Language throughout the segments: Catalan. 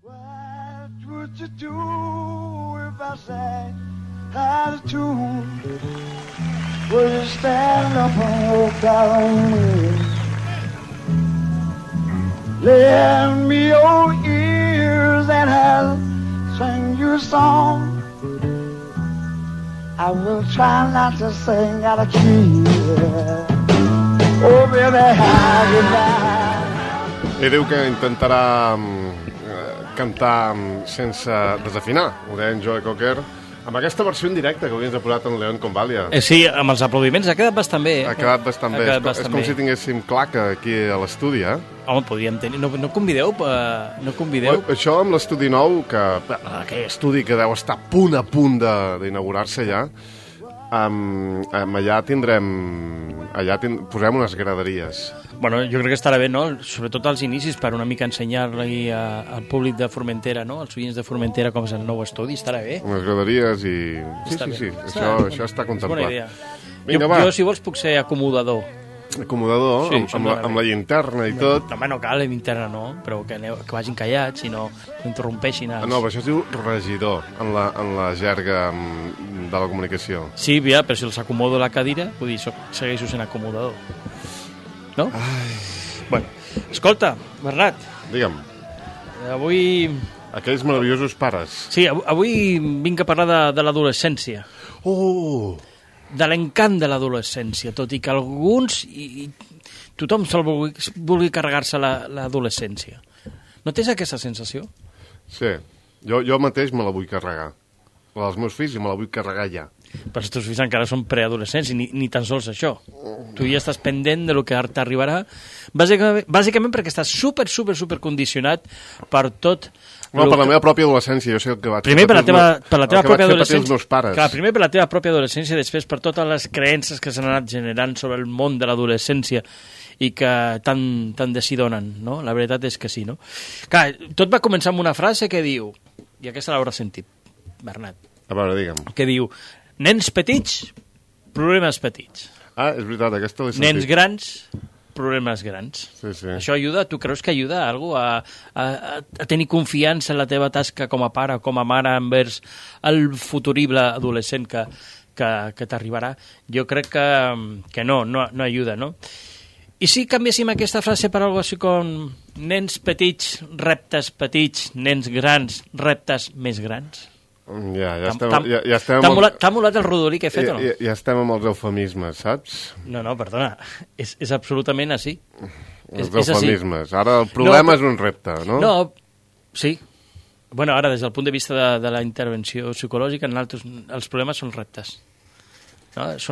What would you do if I sang out of tune? Would you stand up and walk out on me? Lend me your ears and I'll sing you a song. I will try not to sing out of key. Oh, baby, how you like? Ell diu que intentarà cantar sense desafinar, ho deia en Joe Cocker, amb aquesta versió en directe que avui ens ha posat en León Convalia. Sí, amb els aplaudiments ha quedat bastant bé. Ha quedat bastant bé. És com si tinguéssim claca aquí a l'estudi, Home, podríem tenir... No convideu? Això amb l'estudi nou, aquell estudi que deu estar a punt d'inaugurar-se ja, allà posem unes graderies. Bueno, jo crec que estarà bé, no? Sobretot als inicis, per una mica ensenyar-li al públic de Formentera, no? Als oients de Formentera com és el nou estudi, estarà bé. Unes graderies i... Sí, això està contemplat. Bona idea. Vinga, va. Jo, si vols, puc ser acomodador. Acomodador, sí, amb la llinterna i tot. Home, no cal, la llinterna no, però que vagin callats i no interrompeixin els... No, però això es diu regidor en la jerga de la comunicació. Sí, ja, però si els acomodo a la cadira, vull dir, segueixo sent acomodador. No? Ai. Bueno, escolta, Bernat. Digue'm. Avui... Aquells meravellosos pares. Sí, avui vinc a parlar de l'adolescència. Oh! De l'encant de l'adolescència, tot i que alguns i tothom vulgui carregar-se l'adolescència. No tens aquesta sensació? Sí, jo mateix me la vull carregar. La dels meus fills i me la vull carregar ja. Però els teus fills encara són preadolescents i ni tan sols això. Tu ja estàs pendent de lo que t'arribarà, bàsicament perquè estàs super condicionat per tot... No, per la meva pròpia adolescència, jo sé el que vaig... Primer per la teva pròpia adolescència... Els meus pares. Clar, primer per la teva pròpia adolescència i després per totes les creences que s'han anat generant sobre el món de l'adolescència i que tant de si donen, no? La veritat és que sí, no? Clar, tot va començar amb una frase que diu, i aquesta l'hauràs sentit, Bernat. A veure, digue'm. Que diu, nens petits, problemes petits. Ah, és veritat, aquesta l'he sentit. Nens grans, problemes grans. Sí. Això ajuda? Tu creus que ajuda a algú a tenir confiança en la teva tasca com a pare o com a mare envers el futurible adolescent que t'arribarà? Jo crec que no ajuda, no? I si canviéssim aquesta frase per alguna cosa així com nens petits, reptes petits, nens grans, reptes més grans? Ja estem... T'ha molat el rodolí que he fet o no? Ja estem amb els eufemismes, saps? No, perdona, és absolutament així. Els eufemismes. Ara el problema és un repte, no? No, sí. Bueno, ara, des del punt de vista de la intervenció psicològica, els problemes són reptes. No? És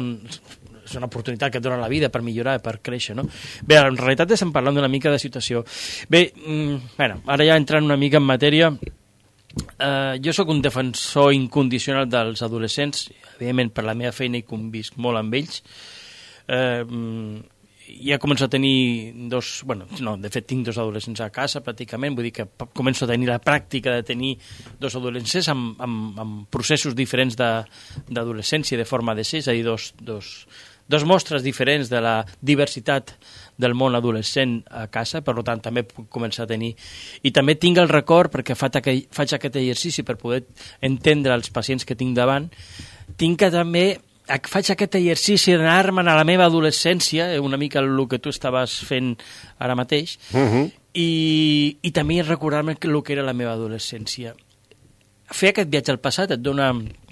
una oportunitat que et dona la vida per millorar, per créixer, no? Bé, en realitat estem parlant d'una mica de situació. Bé, ara ja entrant una mica en matèria... jo sóc un defensor incondicional dels adolescents, evidentment per la meva feina hi convisc molt amb ells. Ja començo a tenir de fet tinc dos adolescents a casa pràcticament, vull dir que començo a tenir la pràctica de tenir dos adolescents amb processos diferents d'adolescència, de forma de ser, és a dir, dos mostres diferents de la diversitat del món adolescent a casa, per tant també puc començar a tenir, i també tinc el record, perquè faig aquest exercici per poder entendre els pacients que tinc davant, tinc que també faig aquest exercici d'anar-me'n a la meva adolescència, una mica el que tu estaves fent ara mateix, i també recordar-me el que era la meva adolescència. Fer aquest viatge al passat et dona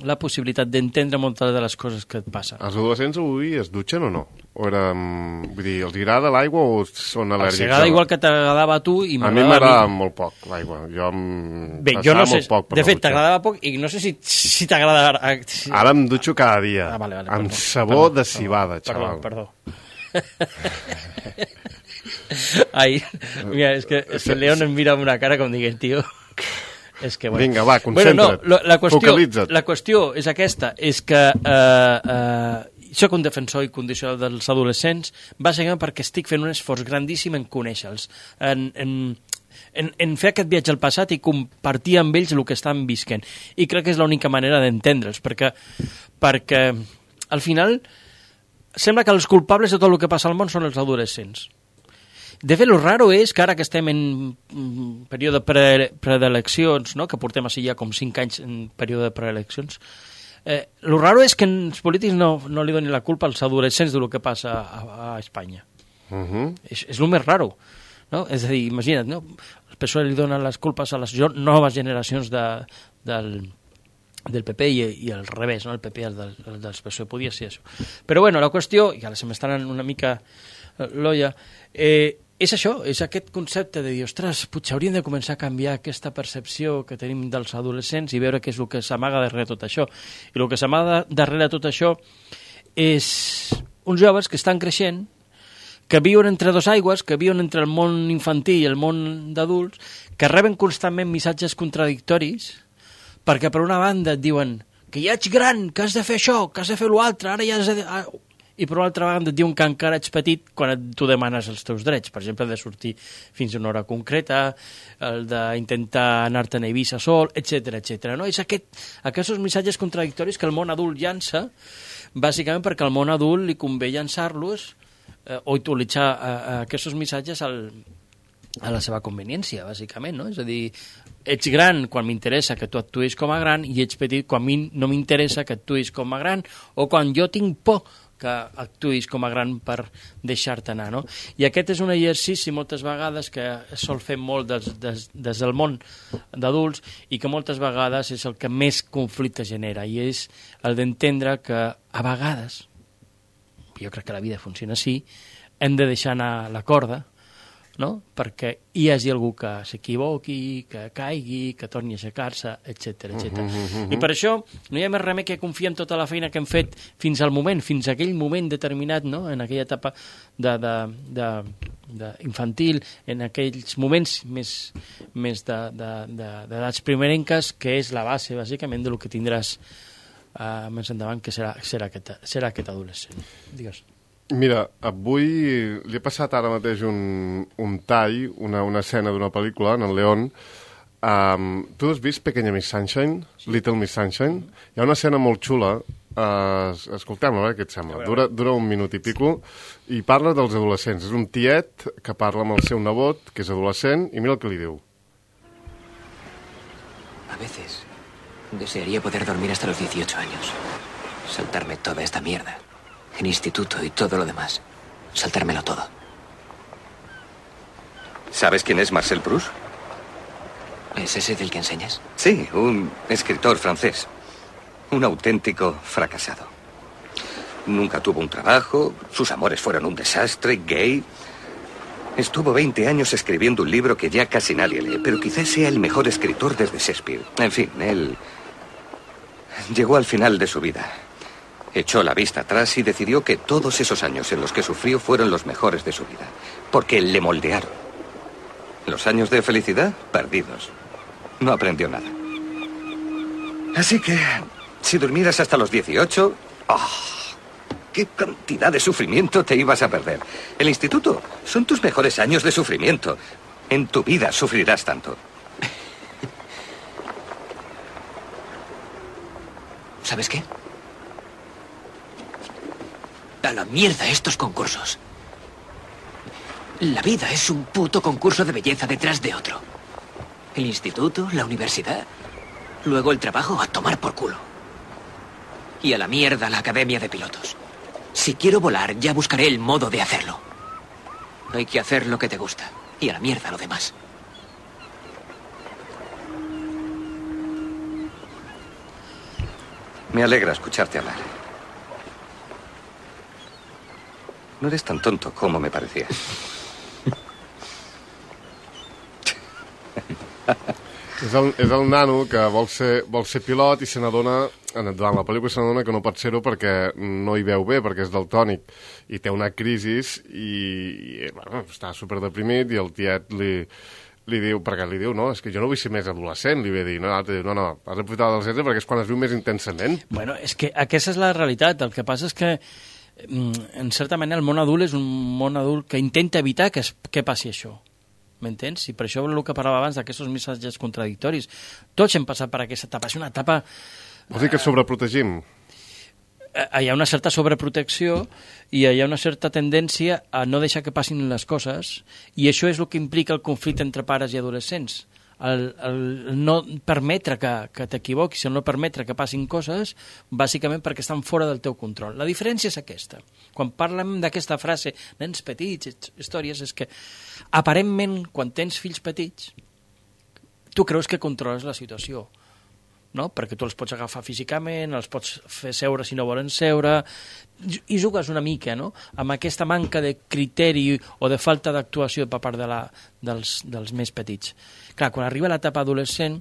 la possibilitat d'entendre moltes de les coses que et passen. Els adolescents avui es dutxen o no? Vull dir, els agrada l'aigua o són al·lèrgics? Els agrada igual que t'agradava a tu i a mi m'agrada molt poc l'aigua. Jo no sé, de fet t'agradava poc i no sé si t'agrada... Ara em dutxo cada dia, amb sabó de cibada, xaval. Perdó. Ai, mira, és que el León em mira amb una cara com dient, tio... És que, vinga, va, concentra't, focalitza't. La qüestió és aquesta, és que soc un defensor incondicional dels adolescents, bàsicament perquè estic fent un esforç grandíssim en conèixer-los, en fer aquest viatge al passat i compartir amb ells el que estan visquent. I crec que és l'única manera d'entendre'ls, perquè al final sembla que els culpables de tot el que passa al món són els adolescents. De fet, el raro és que ara que estem en període preeleccions, no? Que portem així ja com 5 anys en període de preeleccions, el raro és que els polítics no li donin la culpa als adolescents del que passa a Espanya. És el més raro. No? És a dir, imagina't, no? El PSOE li dona les culpes a les noves generacions del PP i al revés, no? El PP dels PSOE, podia ser això. Però bueno, la qüestió, i ara se m'està anant una mica l'olla, és això, és aquest concepte de dir, ostres, potser hauríem de començar a canviar aquesta percepció que tenim dels adolescents i veure què és el que s'amaga darrere tot això. I el que s'amaga darrere tot això és uns joves que estan creixent, que viuen entre dos aigües, que viuen entre el món infantil i el món d'adults, que reben constantment missatges contradictoris, perquè per una banda et diuen que ja ets gran, que has de fer això, que has de fer l'altre, ara ja has de... I per una altra banda et diuen que encara ets petit quan tu demanes els teus drets, per exemple, de sortir fins a una hora concreta, el d'intentar anar-te'n a Eivissa sol, etc. No? És aquests missatges contradictoris que el món adult llança, bàsicament perquè al món adult li convé llançar-los o utilitzar aquests missatges a la seva conveniència, bàsicament, no? És a dir, ets gran quan m'interessa que tu actuïs com a gran i ets petit quan no m'interessa que actuïs com a gran o quan jo tinc por que actuïs com a gran per deixar-te anar, no? I aquest és un exercici moltes vegades que es sol fer molt des del món d'adults i que moltes vegades és el que més conflicte genera i és el d'entendre que a vegades, jo crec que la vida funciona així, hem de deixar anar la corda, no? Perquè hi hagi algú que s'equivoqui, que caigui, que torni a aixecar-se, etc. I per això no hi ha més remei que confiar en tota la feina que hem fet fins al moment, fins a aquell moment determinat, no? En aquella etapa infantil, en aquells moments més d'edats primerenques, que és la base, bàsicament, del que tindràs més endavant, que serà aquest adolescent. Digues. Mira, avui li he passat ara mateix un tall, una escena d'una pel·lícula, en el León. Tu has vist Pequeña Miss Sunshine? Little Miss Sunshine? Hi ha una escena molt xula, escoltem-la, a veure què et sembla. Dura un minut i pico, i parla dels adolescents. És un tiet que parla amb el seu nebot, que és adolescent, i mira el que li diu. A veces desearía poder dormir hasta los 18 años. Saltarme toda esta mierda. El instituto y todo lo demás. Saltármelo todo. ¿Sabes quién es Marcel Proust? ¿Es ese del que enseñas? Sí, un escritor francés. Un auténtico fracasado. Nunca tuvo un trabajo, sus amores fueron un desastre, gay. Estuvo 20 años escribiendo un libro que ya casi nadie lee, pero quizás sea el mejor escritor desde Shakespeare. En fin, él llegó al final de su vida. Echó la vista atrás y decidió que todos esos años en los que sufrió fueron los mejores de su vida, porque le moldearon. Los años de felicidad, perdidos. No aprendió nada. Así que, si durmieras hasta los 18... ¡Oh! ¡Qué cantidad de sufrimiento te ibas a perder! El instituto son tus mejores años de sufrimiento. En tu vida sufrirás tanto. ¿Sabes qué? A la mierda estos concursos. La vida es un puto concurso de belleza detrás de otro. El instituto, la universidad, luego el trabajo, a tomar por culo. Y a la mierda la academia de pilotos. Si quiero volar, ya buscaré el modo de hacerlo. Hay que hacer lo que te gusta. Y a la mierda lo demás. Me alegra escucharte hablar. No eres tan tonto como me parecía. És el nano que vol ser pilot i se n'adona, durant la pel·lícula se n'adona que no pot ser-ho perquè no hi veu bé, perquè és daltònic, i té una crisi i bueno, està superdeprimit i el tiet li diu, perquè li diu, no, és que jo no vull ser més adolescent, li ve dir, no, has d'aprofitar l'adolescència perquè és quan es viu més intensament. Bueno, és que aquesta és la realitat, el que passa és que en certa manera el món adult és un món adult que intenta evitar que passi això. M'entens? I per això el que parlava abans d'aquests missatges contradictoris. Tots hem passat per aquesta etapa. És una etapa... Vols dir que sobreprotegim? hi ha una certa sobreprotecció i hi ha una certa tendència a no deixar que passin les coses, i això és el que implica el conflicte entre pares i adolescents. El no permetre que t'equivoquis, el no permetre que passin coses, bàsicament perquè estan fora del teu control. La diferència és aquesta. Quan parlem d'aquesta frase, nens petits, històries, és que aparentment, quan tens fills petits, tu creus que controles la situació, no? Perquè tu els pots agafar físicament, els pots fer seure si no volen seure, i jugues una mica, no?, amb aquesta manca de criteri o de falta d'actuació per part dels més petits. Clar, quan arriba l'etapa adolescent,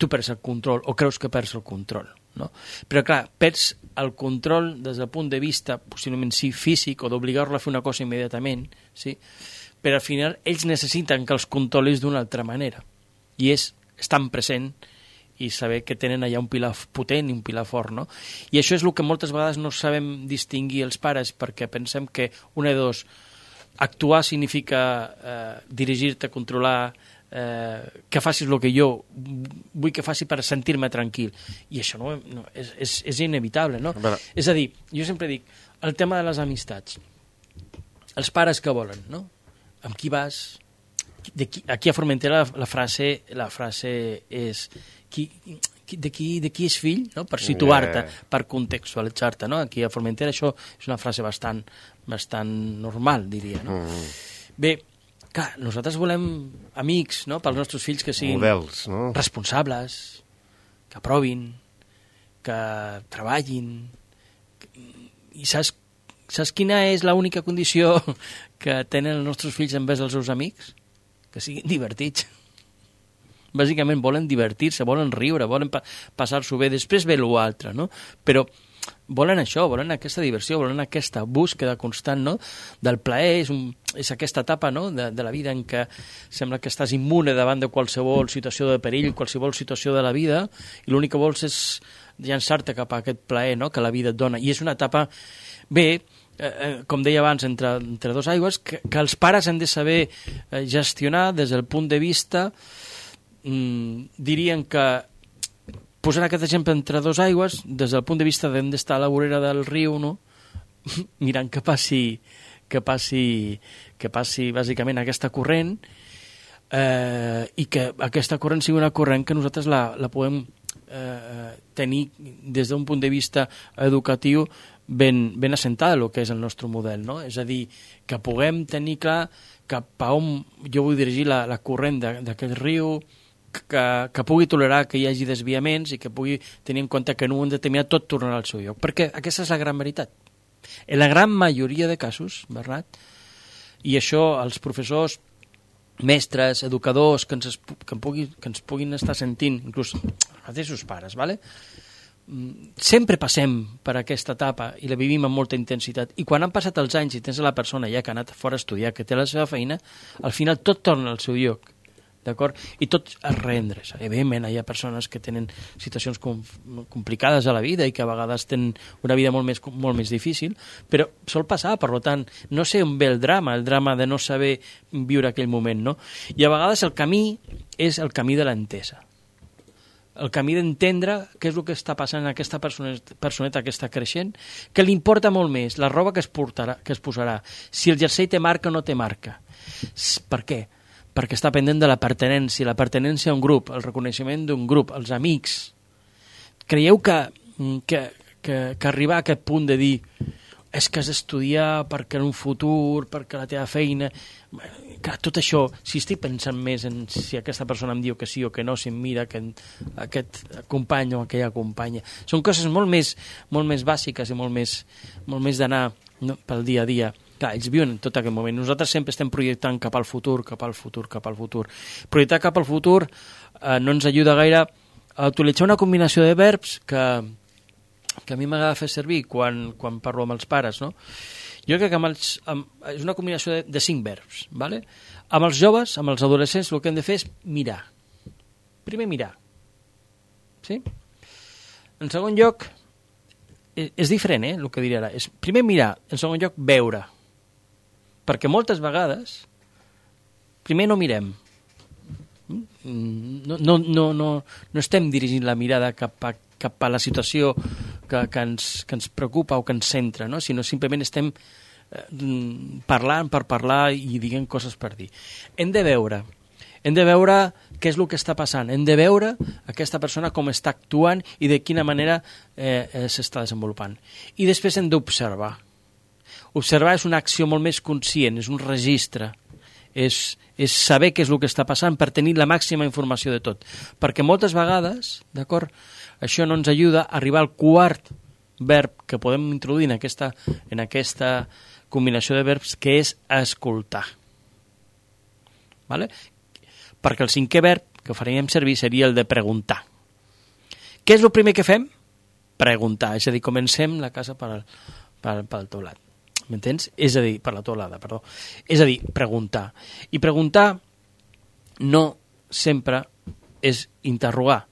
tu perds el control, o creus que perds el control, no? Però clar, perds el control des del punt de vista, possiblement sí, físic, o d'obligar-lo a fer una cosa immediatament, sí? Però al final ells necessiten que els controlis d'una altra manera, i és estar present i saber que tenen allà un pilar potent i un pilar fort, no? I això és el que moltes vegades no sabem distingir els pares, perquè pensem que una de dos, actuar significa dirigir-te, controlar, que facis el que jo vull que faci per sentir-me tranquil, i això no és inevitable, no? És a dir, jo sempre dic, el tema de les amistats, els pares que volen, no? Amb qui vas? Aquí a Formentera la frase és de qui és fill, no? Per situar-te, per contextualitzar-te, no? Aquí a Formentera això és una frase bastant normal, diria, no? Bé, clar, nosaltres volem amics, no?, pels nostres fills que siguin models, no?, responsables, que aprovin, que treballin, i saps quina és l'única condició que tenen els nostres fills envers els seus amics? Que siguin divertits. Bàsicament volen divertir-se, volen riure, volen passar-s'ho bé, després ve l'altre, no? Però volen això, volen aquesta diversió, volen aquesta búsqueda constant, no?, del plaer, és aquesta etapa, no?, de la vida en què sembla que estàs immune davant de qualsevol situació de perill, qualsevol situació de la vida, i l'únic que vols és llançar-te cap a aquest plaer, no?, que la vida et dona. I és una etapa, bé, com deia abans, entre dos aigües, que els pares han de saber gestionar des del punt de vista, dirien que, posant aquest exemple entre dos aigües, des del punt de vista d'hem d'estar a la vorera del riu, no?, mirant que passi bàsicament aquesta corrent, i que aquesta corrent sigui una corrent que nosaltres la podem tenir des d'un punt de vista educatiu ben assentada, el que és el nostre model, no? És a dir, que puguem tenir clar cap a on jo vull dirigir la corrent d'aquest riu, que pugui tolerar que hi hagi desviaments i que pugui tenir en compte que en un moment determinat tot tornarà al seu lloc, perquè aquesta és la gran veritat. En la gran majoria de casos, Bernat, i això els professors, mestres, educadors que ens puguin estar sentint, inclús els mateixos pares, ¿vale?, sempre passem per aquesta etapa i la vivim amb molta intensitat, i quan han passat els anys i tens la persona ja que ha anat fora a estudiar, que té la seva feina, al final tot torna al seu lloc, d'acord? I tot es reendreça. Evidentment hi ha persones que tenen situacions complicades a la vida i que a vegades tenen una vida molt més difícil, però sol passar, per tant, no sé on ve el drama de no saber viure aquell moment, no? I a vegades el camí és el camí de l'entesa, el camí d'entendre què és el que està passant en aquesta personeta que està creixent, que li importa molt més la roba que es posarà, si el jersei té marca o no té marca. Per què? Perquè està pendent de la pertinència a un grup, el reconeixement d'un grup, els amics. Creieu que arribar a aquest punt de dir és que has d'estudiar perquè en un futur, perquè la teva feina... Clar, tot això, si estic pensant més en si aquesta persona em diu que sí o que no, si em mira que aquest company o aquella companya, són coses molt més bàsiques i molt més d'anar, no, pel dia a dia. Clar, ells viuen en tot aquest moment. Nosaltres sempre estem projectant cap al futur. Projectar cap al futur no ens ajuda gaire a utilitzar una combinació de verbs que a mi m'agrada fer servir quan parlo amb els pares, no? Jo crec que és una combinació de 5 verbs, ¿vale? Amb els joves, amb els adolescents, el que hem de fer és mirar. Primer mirar. Sí? En segon lloc, és diferent, el que diré ara. És primer mirar, en segon lloc veure. Perquè moltes vegades, primer no mirem. No estem dirigint la mirada cap a la situació que ens preocupa o que ens centra, no? Sinó simplement estem parlant per parlar i dient coses per dir. Hem de veure què és el que està passant, hem de veure aquesta persona com està actuant i de quina manera s'està desenvolupant. I després hem d'observar. Observar és una acció molt més conscient, és un registre, és saber què és el que està passant per tenir la màxima informació de tot. Perquè moltes vegades, d'acord, això no ens ajuda a arribar al quart verb que podem introduir en aquesta combinació de verbs, que és escoltar. Vale? Perquè el cinquè verb que faríem servir seria el de preguntar. Què és el primer que fem? Preguntar, és a dir, comencem la casa pel teulat. M'entens? És a dir, per la teulada, perdó. És a dir, preguntar. I preguntar no sempre és interrogar.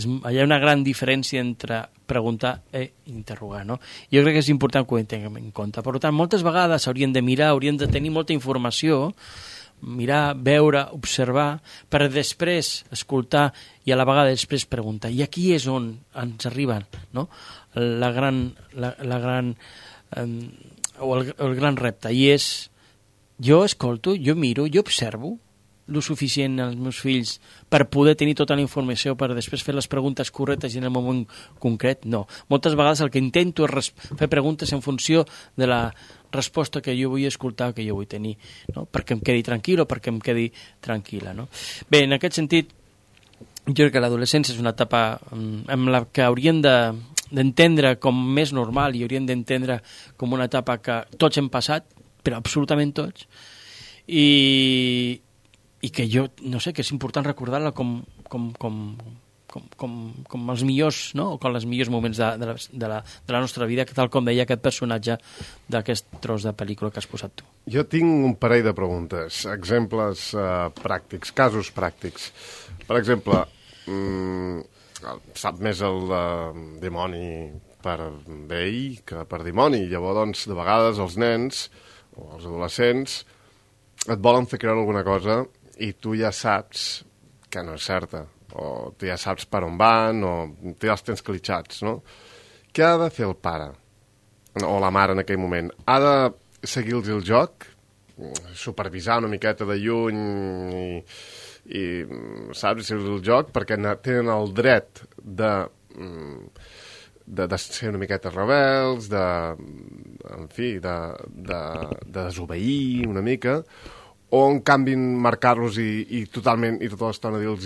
Hi ha una gran diferència entre preguntar i interrogar, no? Jo crec que és important que ho tinguem en compte. Per tant, moltes vegades hauríem de mirar, hauríem de tenir molta informació, mirar, veure, observar, per després escoltar i a la vegada després preguntar. I aquí és on ens arriben, no? el gran repte, i és jo escolto, jo miro, jo observo el suficient als meus fills per poder tenir tota la informació per després fer les preguntes correctes i en el moment concret? No. Moltes vegades el que intento és fer preguntes en funció de la resposta que jo vull escoltar, que jo vull tenir, no? Perquè em quedi tranquil o perquè em quedi tranquil·la, no? Bé, en aquest sentit, jo crec que l'adolescència és una etapa en la que hauríem d'entendre com més normal i hauríem d'entendre com una etapa que tots hem passat, però absolutament tots, i que jo, no sé, que és important recordar-la com els millors, no? O com els millors moments de la nostra vida, que tal com deia aquest personatge d'aquest tros de pel·lícula que has posat tu. Jo tinc un parell de preguntes, exemples pràctics, casos pràctics. Per exemple, sap més el dimoni per vell que per dimoni. Llavors, doncs, de vegades els nens o els adolescents et volen fer creure alguna cosa i tu ja saps que no és certa, o tu ja saps per on van, o tu ja els tens clitxats, no? Què ha de fer el pare o la mare en aquell moment? Ha de seguir-los el joc, supervisar una miqueta de lluny i saps, seguir el joc, perquè tenen el dret de ser una miqueta rebels, en fi, de desobeir una mica, o en canvi marcar-los i totalment, i tota l'estona dir-los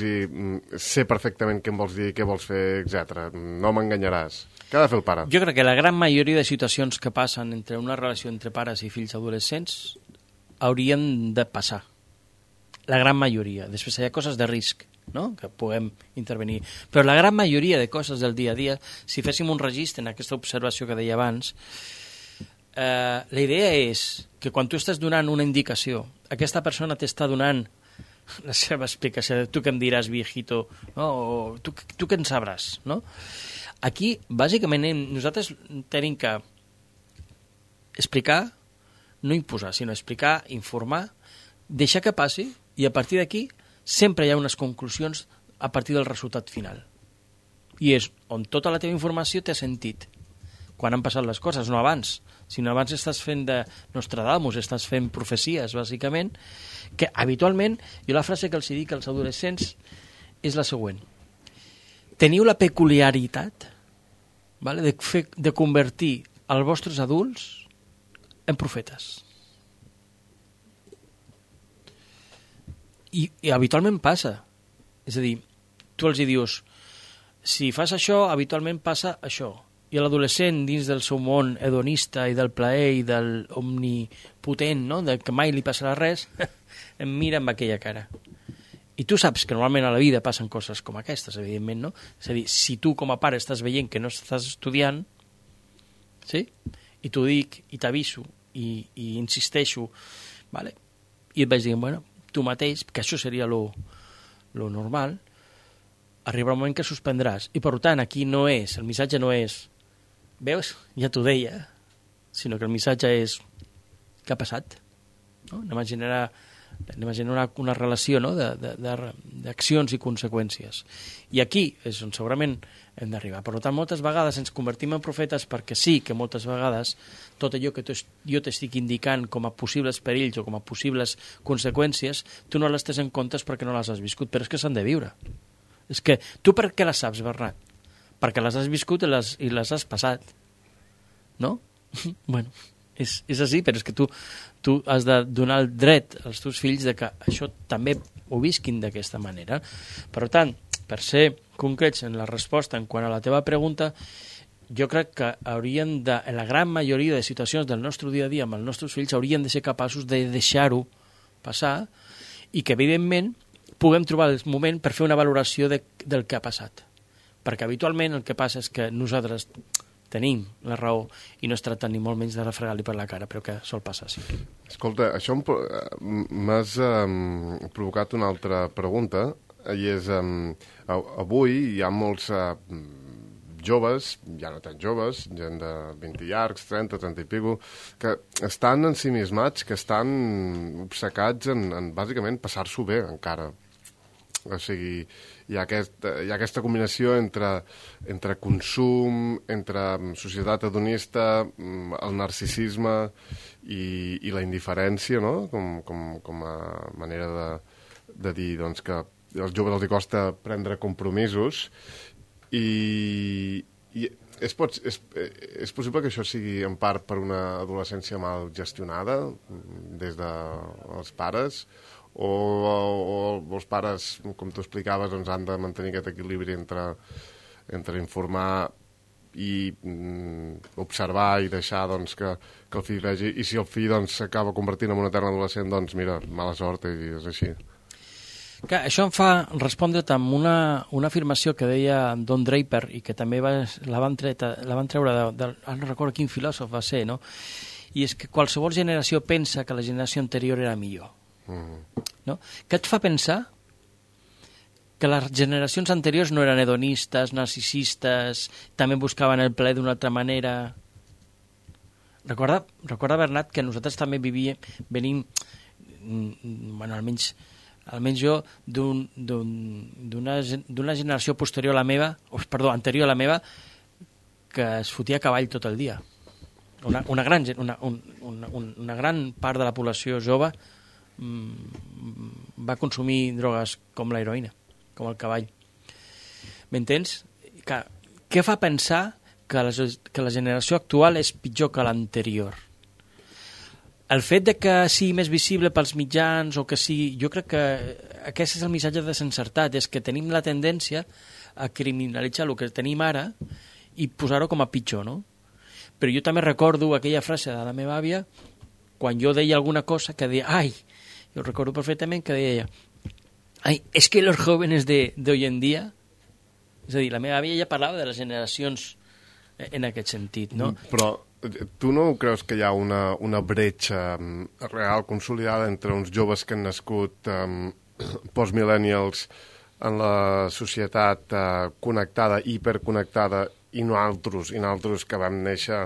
sé perfectament què em vols dir, què vols fer, etc. No m'enganyaràs. Què ha de fer el pare? Jo crec que la gran majoria de situacions que passen entre una relació entre pares i fills adolescents haurien de passar. La gran majoria. Després hi ha coses de risc, no?, que puguem intervenir. Però la gran majoria de coses del dia a dia, si féssim un registre en aquesta observació que deia abans, la idea és que quan tu estàs donant una indicació, aquesta persona t'està donant la seva explicació, tu què em diràs, viejito, no? O tu què en sabràs, no? Aquí, bàsicament, nosaltres tenim que explicar, no imposar, sinó explicar, informar, deixar que passi, i a partir d'aquí sempre hi ha unes conclusions a partir del resultat final. I és on tota la teva informació té sentit, quan han passat les coses, no abans. Si no abans estàs fent de Nostradamus, estàs fent profecies, bàsicament, que habitualment, jo la frase que els dic als adolescents és la següent. Teniu la peculiaritat, vale, de convertir els vostres adults en profetes. I habitualment passa. És a dir, tu els dius, si fas això, habitualment passa això. I l'adolescent, dins del seu món hedonista i del plaer i del omnipotent, no?, de que mai li passarà res, em mira amb aquella cara. I tu saps que normalment a la vida passen coses com aquestes, evidentment, no? És a dir, si tu com a pare estàs veient que no estàs estudiant, sí?, i t'ho dic, i t'aviso, i insisteixo, vale? I et vaig dir, bueno, tu mateix, que això seria lo normal, arribarà un moment que suspendràs. I per tant, aquí no és, el missatge no és, veus, ja t'ho deia, sinó que el missatge és, què ha passat? No? Anem a generar anem a generar una relació, no?, d'accions i conseqüències. I aquí és on segurament hem d'arribar. Per tant, moltes vegades ens convertim en profetes perquè sí que moltes vegades tot allò que jo t'estic indicant com a possibles perills o com a possibles conseqüències, tu no les tens en compte perquè no les has viscut, però és que s'han de viure. És que tu per què les saps, Bernat? Perquè les has viscut i les has passat. No? Bueno, és així, però és que tu has de donar el dret als teus fills de que això també ho visquin d'aquesta manera. Per tant, per ser concrets en la resposta en quant a la teva pregunta, jo crec que haurien de, en la gran majoria de situacions del nostre dia a dia amb els nostres fills, haurien de ser capaços de deixar-ho passar i que, evidentment, puguem trobar el moment per fer una valoració del que ha passat. Perquè habitualment el que passa és que nosaltres tenim la raó i no es tracta ni molt menys de refregar-li per la cara, però que sol passar, sí. Escolta, això m'has provocat una altra pregunta, i és, avui hi ha molts joves, ja no tan joves, gent de 20 llargs, 30 i pico, que estan ensimismats, que estan obcecats en bàsicament passar-s'ho bé encara. O sigui, hi ha aquesta combinació entre consum, entre societat hedonista, el narcisisme i la indiferència, no?, com a manera de dir, doncs, que als joves els costa prendre compromisos i és possible que això sigui en part per una adolescència mal gestionada des dels pares o els pares, com tu explicaves, doncs han de mantenir aquest equilibri entre informar i observar i deixar doncs, que el fill vegi, i si el fill s'acaba convertint en un etern adolescent, doncs mira, mala sort, i és així. Clar, això em fa respondre't amb una afirmació que deia Don Draper i que també la van treure no recordo quin filòsof va ser, no? I és que qualsevol generació pensa que la generació anterior era millor. No? Què et fa pensar que les generacions anteriors no eren hedonistes, narcisistes, també buscaven el plaer d'una altra manera? Recorda, Bernat, que nosaltres també venim, bueno, almenys jo, d'una generació anterior a la meva, que es fotia a cavall tot el dia. Una gran part de la població jove va consumir drogues com la heroïna, com el cavall. M'entens? Què fa pensar que la generació actual és pitjor que l'anterior? El fet de que sigui més visible pels mitjans o que sigui... Jo crec que aquest és el missatge desencertat, és que tenim la tendència a criminalitzar el que tenim ara i posar-ho com a pitjor, no? Però jo també recordo aquella frase de la meva àvia quan jo deia alguna cosa que deia, jo recordo perfectament que deia, es que los jóvenes de hoy en día... És a dir, la meva àvia ja parlava de les generacions en aquest sentit, no? Però tu no creus que hi ha una bretxa real consolidada entre uns joves que han nascut post-millennials en la societat connectada, hiperconnectada, i nosaltres que vam néixer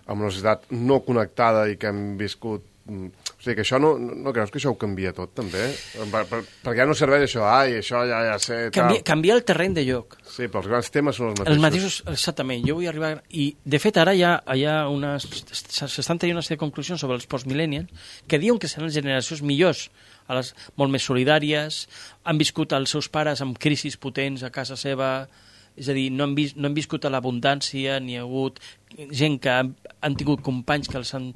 en una societat no connectada i que hem viscut... O sigui, que això no creus que això ho canvia tot, també? Perquè ja no serveix això, això ja sé... Canvia el terreny de lloc. Sí, però els grans temes són els mateixos. Exactament, jo vull arribar... I, de fet, ara s'estan tenint una sèrie de conclusions sobre els post-millennials que diuen que seran generacions millors, molt més solidàries, han viscut els seus pares amb crisis potents a casa seva... És a dir, no han viscut a l'abundància, ni ha hagut gent que han tingut companys que els han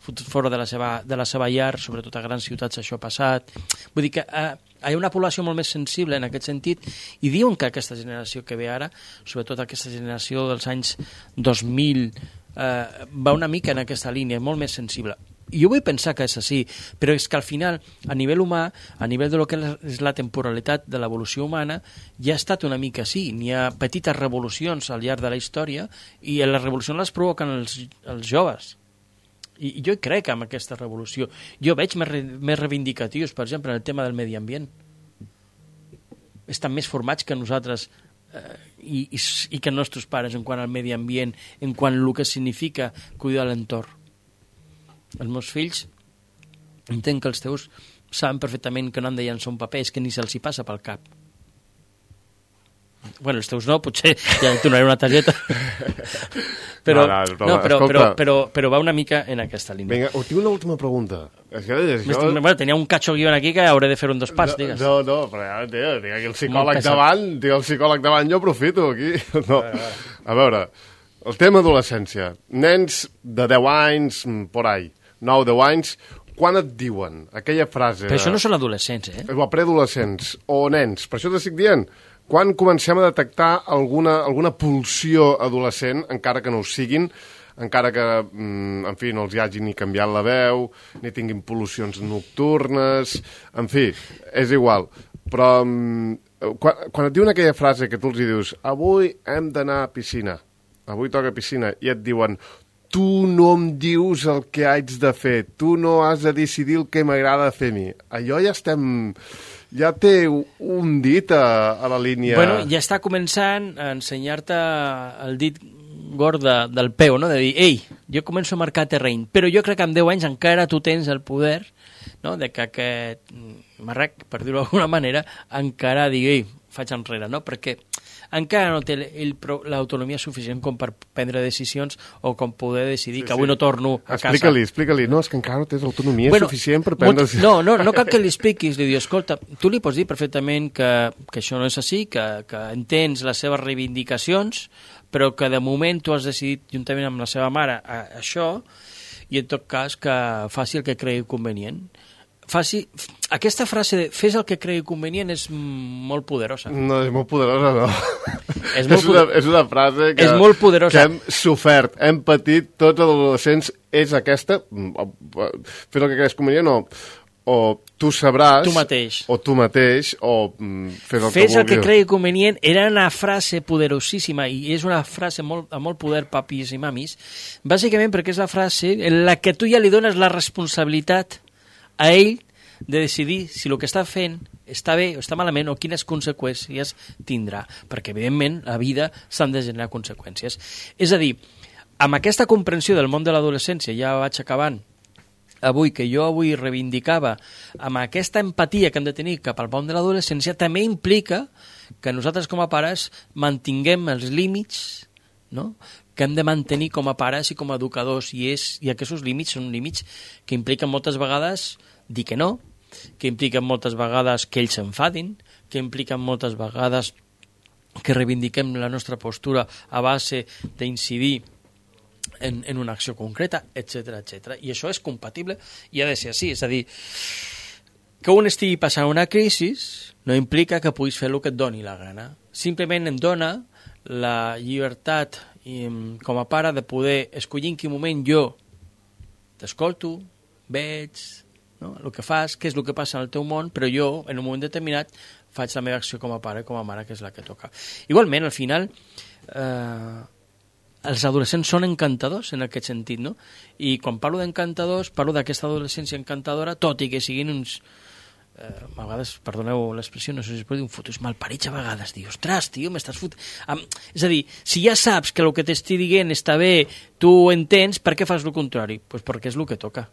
fotut fora de la seva llar, sobretot a grans ciutats això ha passat. Vull dir que hi ha una població molt més sensible en aquest sentit i diuen que aquesta generació que ve ara, sobretot aquesta generació dels anys 2000, va una mica en aquesta línia, molt més sensible. I jo vull pensar que és així, però és que al final, a nivell humà, a nivell de lo que és la temporalitat de l'evolució humana, ja ha estat una mica així. N'hi ha petites revolucions al llarg de la història i les revolucions les provoquen els joves. I jo crec en aquesta revolució. Jo veig més reivindicatius, per exemple, en el tema del medi ambient. Estan més formats que nosaltres i que els nostres pares en quant al medi ambient, en quant al que significa cuidar l'entorn. Els meus fills, entenc que els teus saben perfectament que no han de llançar un paper, és que ni se'ls hi passa pel cap. Bueno, els teus no, potser ja et donaré una targeta. Però va una mica en aquesta línia. Vinga, tinc una última pregunta. Bueno, tenia un cacho guion aquí que hauré de fer un dos parts, digues. No, però ja, tio, tinc aquí el psicòleg davant, jo aprofito aquí. No. A veure, el tema adolescència. Nens de 10 anys, por ahí, 9-10 anys, quan et diuen aquella frase... Però això no són adolescents, O preadolescents, o nens, per això t'estic dient... Quan comencem a detectar alguna pulsió adolescent, encara que no ho siguin, encara que, en fi, no els hi hagi ni canviat la veu, ni tinguin pol·lucions nocturnes, en fi, és igual. Però quan et diuen aquella frase que tu els hi dius avui hem d'anar a piscina, avui toca piscina, i et diuen tu no em dius el que haig de fer, tu no has de decidir el que m'agrada fer a mi. Allò ja estem... Ja té un dit a la línia... Bueno, ja està començant a ensenyar-te el dit gord del peu, no? De dir, ei, jo començo a marcar terreny, però jo crec que amb 10 anys encara tu tens el poder, no?, de que aquest marrec, per dir-ho d'alguna manera, encara digui, ei, faig enrere, no? Perquè encara no té l'autonomia suficient com per prendre decisions o com poder decidir que avui no torno a casa. Explica-li. No, és que encara no tens l'autonomia suficient per prendre decisions. No cal que li expliquis. Li dius, escolta, tu li pots dir perfectament que això no és així, que entens les seves reivindicacions, però que de moment tu has decidit, juntament amb la seva mare, això, i en tot cas que faci el que cregui convenient. Aquesta frase de fes el que cregui convenient és molt poderosa. No, és molt poderosa, no. És una frase que hem sofert, hem patit tots els adolescents. És aquesta, fes el que creguis convenient, o tu sabràs... Tu mateix, o fes el que cregui convenient era una frase poderosíssima, i és una frase amb molt poder, papis i mamis, bàsicament perquè és la frase en la que tu ja li dones la responsabilitat a ell de decidir si el que està fent està bé o està malament o quines conseqüències tindrà, perquè evidentment la vida s'han de generar conseqüències. És a dir, amb aquesta comprensió del món de l'adolescència, ja vaig acabant, que jo avui reivindicava, amb aquesta empatia que hem de tenir cap al món de l'adolescència, també implica que nosaltres com a pares mantinguem els límits, no?, que hem de mantenir com a pares i com a educadors, i aquests límits són límits que impliquen moltes vegades dir que no, que impliquen moltes vegades que ells s'enfadin, que impliquen moltes vegades que reivindiquem la nostra postura a base d'incidir en una acció concreta, etc. I això és compatible i ha de ser així, és a dir, que un estigui passant una crisi no implica que puguis fer el que et doni la gana, simplement em dona la llibertat com a pare de poder escollir en quin moment jo t'escolto, veig, no?, el que fas, què és el que passa en el teu món, però jo, en un moment determinat, faig la meva acció com a pare, com a mare, que és la que toca. Igualment, al final, els adolescents són encantadors en aquest sentit, no? I quan parlo d'encantadors, parlo d'aquesta adolescència encantadora, tot i que siguin uns... a vegades, perdoneu l'expressió, no sé si es pot dir un fotos malparits a vegades, dir, ostres, tio, m'estàs fotent... És a dir, si ja saps que el que t'estic dient està bé, tu ho entens, per què fas el contrari? Doncs perquè és el que toca.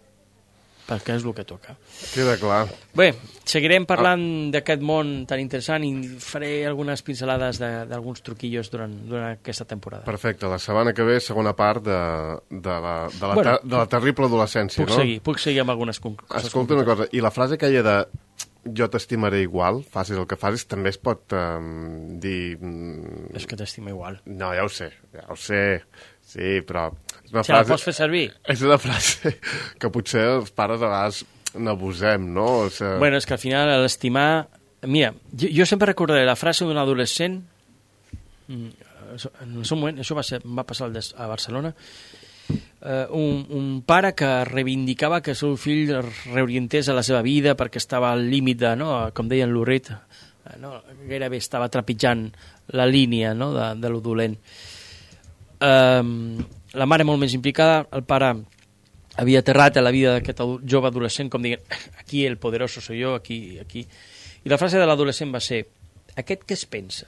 Perquè és el que toca. Queda clar. Bé, seguirem parlant d'aquest món tan interessant i faré algunes pincelades d'alguns truquillos durant aquesta temporada. Perfecte, la setmana que ve, segona part de la terrible adolescència, no? Puc seguir amb algunes coses. Escolta una cosa, i la frase aquella de jo t'estimaré igual, facis el que facis, també es pot dir... És que t'estima igual. No, ja ho sé, sí, però... la pots fer servir? És una frase que potser els pares a vegades n'abusem, no? Bueno, és que al final l'estimar... Mira, jo sempre recordaré la frase d'un adolescent, en el seu moment, això va passar a Barcelona, un pare que reivindicava que el seu fill reorientés a la seva vida perquè estava al límit de, no, com deia en Lurrit, no, gairebé estava trepitjant la línia, no, de lo dolent. La mare molt més implicada, el pare havia aterrat a la vida d'aquest jove adolescent com dient, aquí el poderoso soy yo, aquí. I la frase de l'adolescent va ser, aquest que es pensa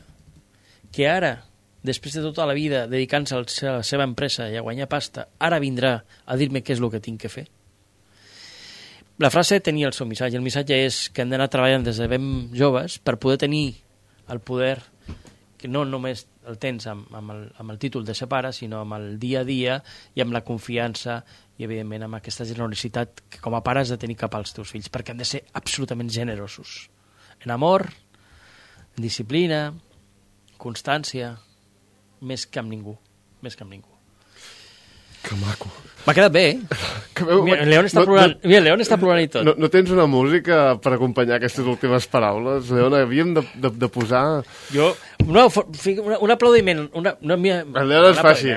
que ara, després de tota la vida dedicant-se a la seva empresa i a guanyar pasta, ara vindrà a dir-me què és el que tinc que fer? La frase tenia el seu missatge. El missatge és que hem d'anar treballant des de ben joves per poder tenir el poder, que no només el tens amb el títol de ser pare, sinó amb el dia a dia i amb la confiança i, evidentment, amb aquesta generositat que com a pare has de tenir cap als teus fills, perquè han de ser absolutament generosos. En amor, en disciplina, constància, més que amb ningú. Més que amb ningú. Que maco. M'ha quedat bé, eh? Mira, el León està plorant. Mira, el León està plorant i tot. No tens una música per acompanyar aquestes últimes paraules? León, havíem de posar... Jo... No, un aplaudiment. El León es fa així.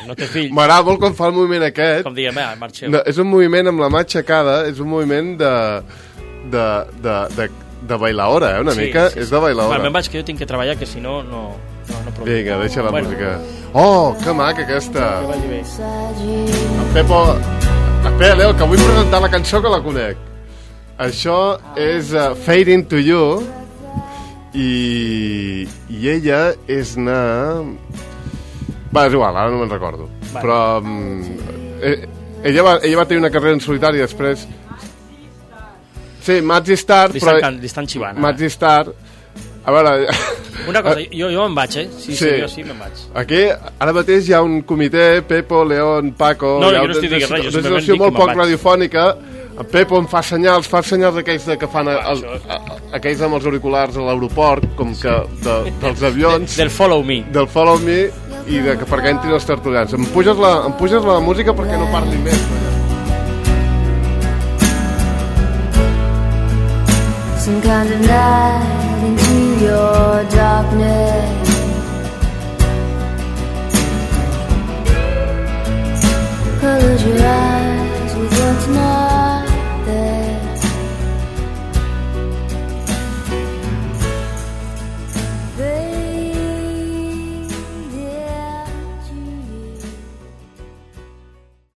No té fill. M'agrada molt quan fa el moviment aquest. Com diguem, marxeu. No, és un moviment amb la mà aixecada, és un moviment de bailaora, una mica. És de bailaora. Me'n vaig, que jo tinc que treballar, que si no, no vinga, deixa la música. Oh, que maca aquesta. Que vagi bé. En Pepo... Espera, Leo, que vull presentar la cançó que la conec. Això és Fade Into You i ella és Va, és igual, ara no me'n recordo. Vale. Però ella va tenir una carrera en solitari després. Sí, Mazzy Star, però... Li estan xivant. Mazzy Star... A veure... Una cosa, jo me'n vaig, eh? Sí, jo sí me'n vaig. Aquí, ara mateix hi ha un comitè, Pepo, León, Paco... No, jo no estic dient res, jo simplement dic que me'n vaig. Una situació molt poc radiofònica. En Pepo em fa senyals d'aquells que fan aquells amb els auriculars a l'aeroport, com que dels avions... Del Follow Me. Del Follow Me i perquè entrin els tertulians. Em puges la música perquè no parli més. Some kind of night